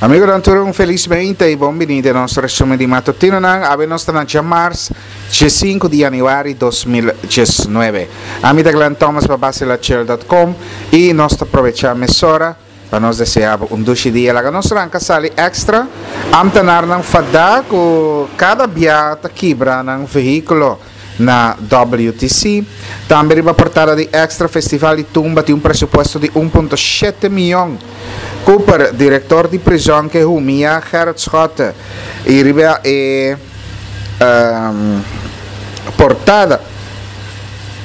Amigonan tur un felis meinta y bon bini den nos resumen di matutinonan. Awe nos ta na djamars diesinku di januari 2019. Ami ta Glenn Thomas pa basilachel dot com y nos ta probecha mesora pa nos desea bo un dushi dia. Laga nos ranka sali extra. Ambtenarnan fada ku kada bia ta kibra nan vehíkulo na WTC. Tambe riba portada di Extra Festival di Tumba tin un presupuesto di un punto shete miyon. Cooper, direktor di prizòn ke humia Gerrit Schotte i riba e portada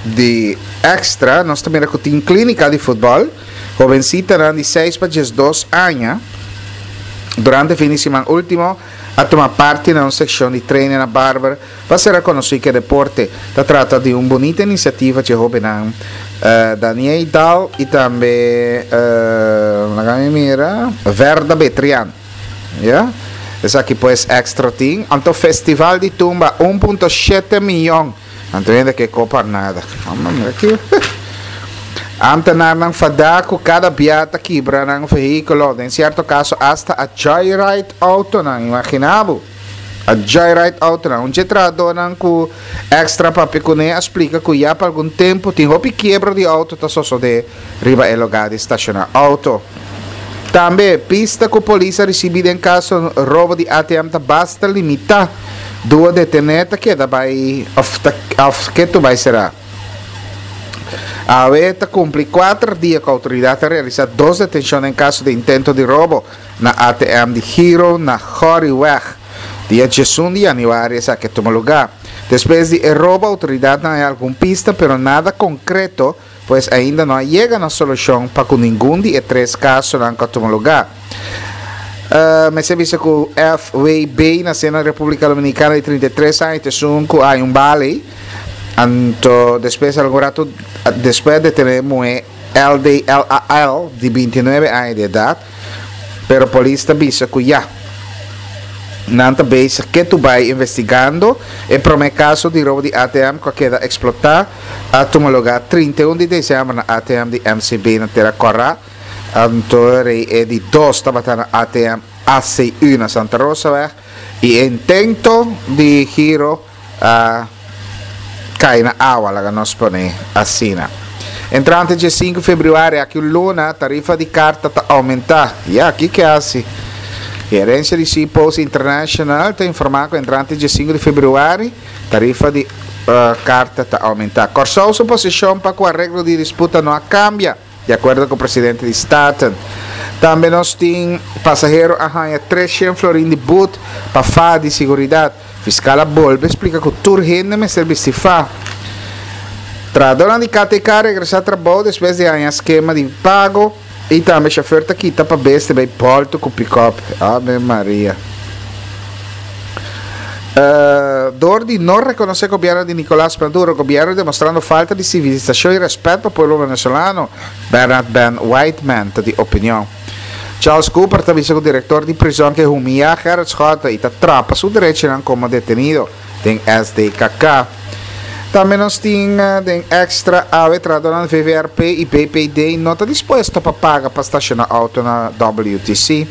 di Extra nos ta mira ku tin klínika di futbòl. Hobencitanan di seis pa 12 aña durante fin di siman ultimo a tuma parti na un seccion di training na Barber pa sera conoci cu e deporte. Ta trata di un bunita iniciativa dje hobennan Daniey Dahl y tambe laga mi mira Verda Betrian. Ya. Esaki pues extra tin. Anto festival di tumba 1.7 miyon. Anto hende ke kopa nada. Amba mira ki. Ambtenarnan fadá ku kada bia ta kibra nan vehíkulo, den sierto kaso asta a joyride outonan. Imaginá bo! A joyride outonan. Un dje trahadónan ku Extra papia kuné a splika ku ya pa algun tempu tin hopi kiebro di outo ta sosodé riba e lugá di stashoná outo. Tambe, pista ku polis a risibí den kaso robo di ATM ta basta limitá. Duo detené ta keda bai òf ta òf ketu bai será. Awe ta kumpli kuater dia ku outoridat a realisá dos detenshon den kaso di intento di robo na ATM di Giro na Goriweg. Dia 11 di yanüari esaki a tuma lugá. Despues di e robo outoridatnan a haña algun pista pero nada konkreto. Pues ainda no a yega na solushon pa ku ningun di e tres kasonan ku a tuma lugá. Mester bisa ku FWB nasé na Repúblika Dominikana di 33 aña ta esun ku a haña un bala ei. Anto despues algun ratu despues a detené e muhé LDLAL di 29 aña di edat. Pero polis ta bisa ku ya nan ta bezig ketu bai investigando e promé kaso di robo di ATM ku a keda eksplotá. A tuma lugá 31 di desèmber na ATM di MCB na Tera Kòrá. Anto rei e di dos tabata na ATM ACU na Santa Rosaweg i e intento di giro a kai na awa, laga nos pone asina. Entrante dje sinku febrüari, aki un luna, tarifa di karta ta oumentá. Ya, kiko e hasi? Gerensia di Seapost International ta informá ku entrante dje sinku di febrüari, Tarifa di karta ta oumentá. Kòrsou su posishon pa ku areglo di disputa no a kambia, di akuerdo ku presidente di Staten. Tambe nos tin pasahero a haña 300 florin di but pa fa di siguridat. Fiskal a bolbe splika ku tur hende mester bisti fa. Trahadónan di KTK a regresá trabou despues di haña skema di pago. I tambe shofer ta kita pa beste bay bolto cu pick-up. Ave Maria. Door di no reconoce gobierno di Nicolas Maduro, gobierno demostrando falta di civilisacion y respet pa pueblo venezolano, Bernard Ben Whiteman ta di opinion. Charles Cooper ta bisa cu director di prison ke humiya Gerrit Schotte y ta trapa su derechonan como detenido. Den SDKK. Tambe nos tin den extra awe trahadornan VVRP y BPD no ta dispuesto pa paga pa staciona auto na WTC.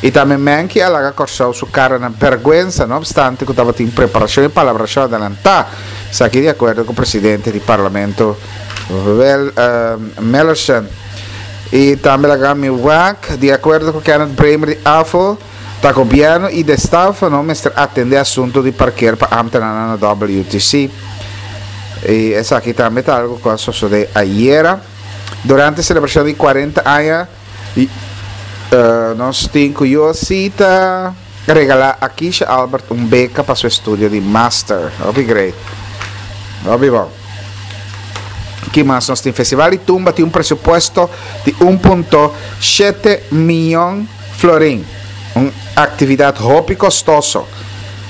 Y tambe Menke a laga Corsou su cara na berguensa no obstante cu tabatin preparacion y palabracion adelanta. Esaki di acuerdo cu presidente di Parlamento Mellerson. Y tambe laga mi wak di acuerdo cu Kenneth Bremer di AFO. Ta gobierno y Destafano mester atende asunto di parkeer pa ambtenanan na WTC. Y esaki tambe ta algo cu a sosode ayera. Durante celebracion di 40 aña nos tin cu UOC ta regala Akisha Albert un beca pa su estudio di master. Hopi great. Hopi bon. Ki mas nos tin? Festival di Tumba tin un presupuesto di un punto shete miyon. Florin, un actividad hopi costoso.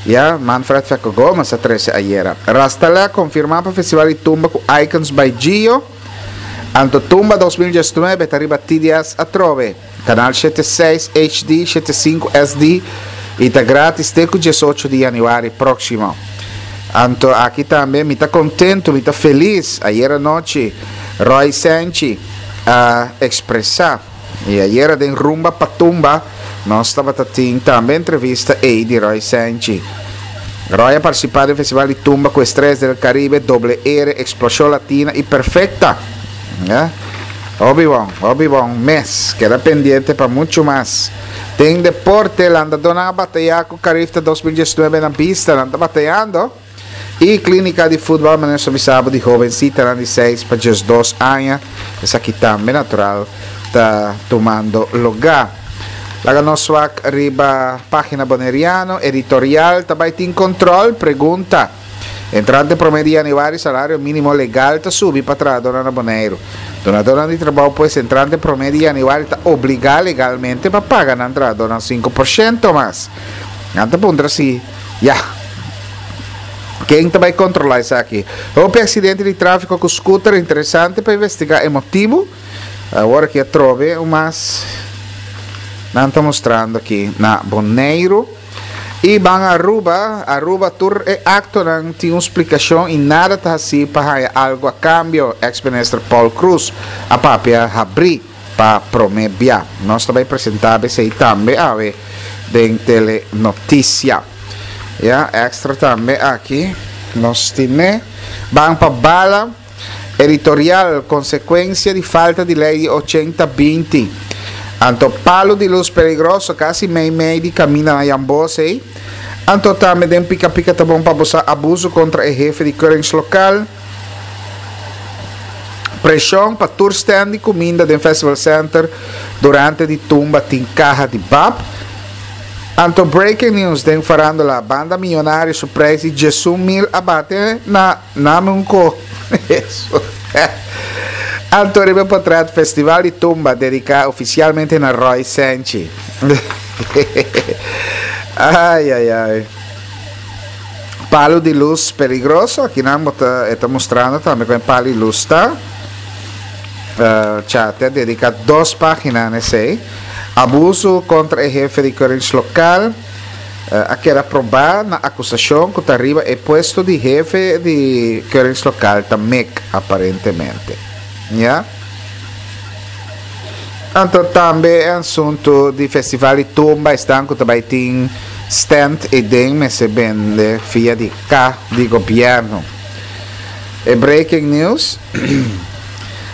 Ya, Manfred Fecco Gomez a trece ayera. Rastalè a confirma pa Festival di Tumba cu Icons by Gio. Anto Tumba 2019 ta riba TDS atrobe. Canal 76 HD, 75 SD y ta gratis te cu 18 di januari proximo. Anto aki tambe mi ta contento, mi ta feliz. Ayera nochi Roy Senchi a expresa. Y ayera den Rumba pa Tumba Nos tabata tin tambe entrevista ei di Roy Senchi. Roy a partisipá den Festival di Tumba ku Estrellas del Caribe, Doble R, Explosión Latina i Perfecta. Ya. Hopi bon, hopi bon mes. Keda pendiente pa muchu mas. Den deporte, landadónan a batayá ku Carifta 2019 na bista. Nan ta batayando. E Clínica di Futbal manera nos a bisa bo di hobencitanan di seis pa 12 aña. Esaki tambe natural ta tumando lugá. Laga nos wak riba página Boneriano, editorial ta bai tin control? Pregunta. Entrante promé di januari salario mínimo legal ta subi pa trahadónan na Boneiru. Dunadónan di trabou pues entrante promé di januari ta obligá legalmente pa paga nan trahadónan 5% mas. Nan ta puntra si Ya. Ken ta bai controla esaki? Hopi accidente di trafico cu scooter interesante pa investiga e motibo. Awor aki atrobe un mas nan ta mostrando aki na Boneiru. Y ban Aruba, Aruba tur e actonan tin un splicacion y nada ta haci pa haya algo a cambio, ex minister Paul Croes a papia habri. Pa prome bia. Nos ta bay presenta besey tambe awe den Telenoticia. Ya, extra tambe aki nos tine. Ban pa bala. Editorial, Consecuencia di falta di ley di ochenta binti. Anto palo di luz peligroso casi mey mey di caminda na Jan Bos ey. Anto tambe den Pica Pica ta bon pa bo sa abuso contra e hefe di keuringslokaal. Preshon pa tur stand di kuminda den Festival Center durante di tumba tin kaha di bab. Anto breaking news den farandola, banda Millonario su prijs di 11.000 a bate na name un ko. Anto riba potret Festival di Tumba dedica oficialmente na Roy Senchi. Ay ay ay. Palu di lus peligroso, aki nan bo ta e ta mustrando tambe kon e palu di lus ta. Cha te a dedica dos pagina na esey. Abuso contra e hefe di keuringslokaal a keda proba na acusacion cu ta riba e puesto di hefe di keuringslokaal ta mek aparentemente. Ya. Anto tambe e asuntu di festival di tumba esnan ku ta bai tin stand eden mester bende via di ka di gobierno. E breaking news,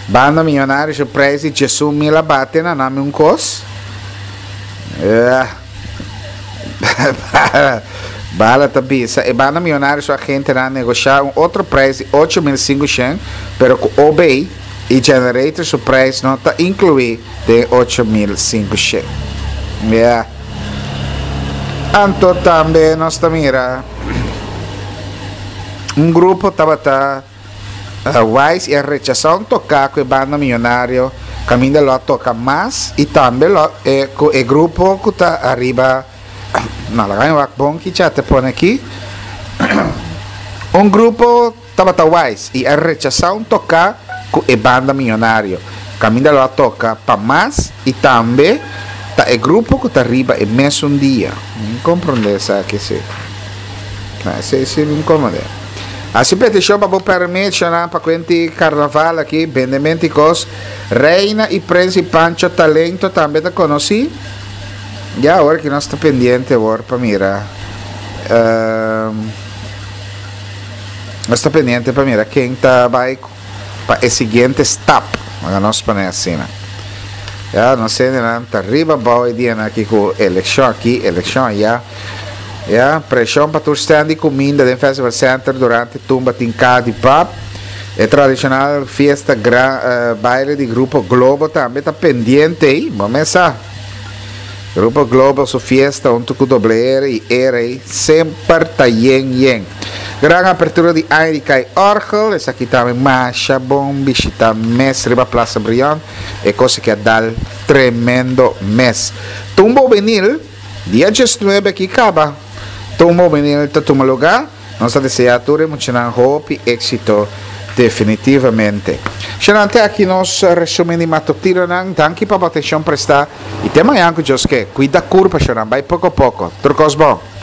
Banda miyonario su prijs di 11.000 a bate na nami un kos. Bala ta bisa e banda miyonario su agentenan a negosha un otro prijs di 8.500 pero ku OB E generator su prijs no ta inclui den e 8500. Ya. Anto tambe nos ta mira un grupo tabata wise y a rechasa un toca cu e banda millonario caminda lo a toca mas y tambe lo e cu e grupo cu ta ariba no laga mi wak bon kicha te pone aki un grupo Tabata wise i a rechasá un toká ku e banda miyonario. Kaminda lo a toka pa mas i tambe ta e grupo ku ta riba e mesun dia. Mi komprondé esaki si. Na esei si mi komprondé. Hasi petishon pa bo permishonan pa kuenti karnaval aki, bendemento i kos. Reina i Prens i Pancho Talento tambe ta konosí. Ya awor ki nos ta pendiente awor pa mira. Nos ta pendiente pa mira ken ta bai pa e siguiente stap. Laga nos pone asina. Ya, nos hendenan ta riba abou e dianan aki ku elekshon aki, elekshon aya. Ya, preshon pa tur stand di kuminda den Festival Center durante tumba tin ka di pap. E tradishonal fiesta gran baile di Grupo Globo tambe ta pendiente ei. Bo mes sa. Grupo Globo su fiesta hunto cu Doble R y E-Rey semper ta yen yen. Gran apertura di aña di Kai Orgel, esaki tambe masha bon bishita mes riba Plaza Brion, e cosa ki a dal tremendo mes. Tumba Hubenil, dia 19 aki caba, Tumba Hubenil ta tuma lugar. Nos ta desea tur e muchanan hopi éxito definitivamente. Shanan te aki nos resumen di matutinonan. Danki pa bo atencion presta y te mañan cu Dios ke. Cuida curpa shanan, bay poco poco. Tur cos bon.